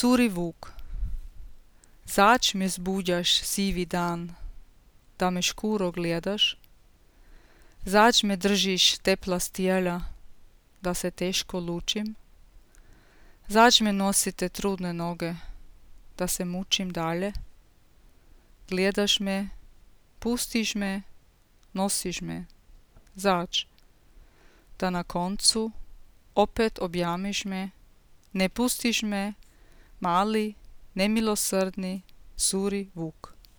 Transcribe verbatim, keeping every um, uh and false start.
Suri vuk, zač me zbudjaš sivi dan, da me škuro gledaš, zač me držiš tepla stijela, da se teško lučim, zač me nosite trudne noge, da se mučim dalje, gledaš me, pustiš me, nosiš me, zač, da na koncu opet objamiš me, ne pustiš me, mali, nemilosrdni Suri vuk.